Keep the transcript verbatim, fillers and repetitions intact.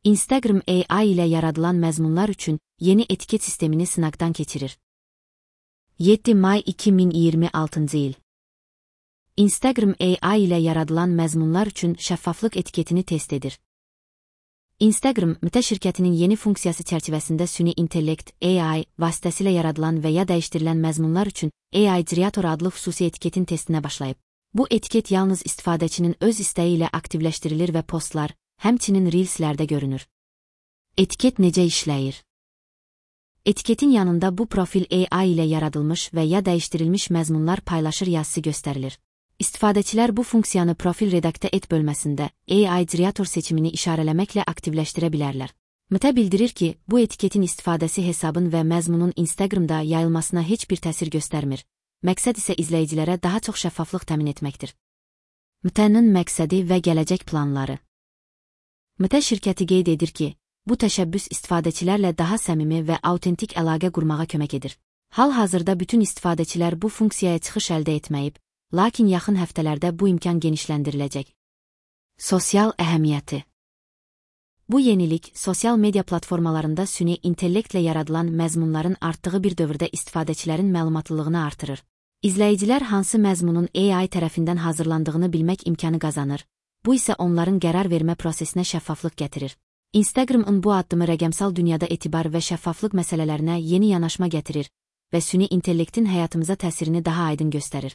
Instagram A I ilə yaradılan məzmunlar üçün yeni etiket sistemini sınaqdan keçirir. yeddi may iki min iyirmi altıncı il. Instagram A I ilə yaradılan məzmunlar üçün şəffaflıq etiketini test edir. Instagram, Meta şirkətinin yeni funksiyası çərçivəsində süni intellekt A I vasitəsilə yaradılan və ya dəyişdirilən məzmunlar üçün A I Generator adlı xüsusi etiketin testinə başlayıb. Bu etiket yalnız istifadəçinin öz istəyi ilə aktivləşdirilir və postlar, həmçinin Reelslərdə görünür. Etiket necə işləyir? Etiketin yanında bu profil A I ilə yaradılmış və ya dəyişdirilmiş məzmunlar paylaşır yazısı göstərilir. İstifadəçilər bu funksiyanı profil redaktə et bölməsində A I Generator seçimini işarələməklə aktivləşdirə bilərlər. Meta bildirir ki, bu etiketin istifadəsi hesabın və məzmunun Instagramda yayılmasına heç bir təsir göstərmir. Məqsəd isə izləyicilərə daha çox şəffaflıq təmin etməkdir. Meta'nın məqsədi və gələcək planları. Meta şirkəti qeyd edir ki, bu təşəbbüs istifadəçilərlə daha səmimi və autentik əlaqə qurmağa kömək edir. Hal-hazırda bütün istifadəçilər bu funksiyaya çıxış əldə etməyib, lakin yaxın həftələrdə bu imkan genişləndiriləcək. Sosial əhəmiyyəti. Bu yenilik, sosial media platformalarında süni intellektlə yaradılan məzmunların artdığı bir dövrdə istifadəçilərin məlumatlılığını artırır. İzləyicilər hansı məzmunun A I tərəfindən hazırlandığını bilmək imkanı qazanır, bu isə onların qərar vermə prosesinə şəffaflıq gətirir. Instagram'ın bu addımı rəqəmsal dünyada etibar və şəffaflıq məsələlərinə yeni yanaşma gətirir və süni intellektin həyatımıza təsirini daha aydın göstərir.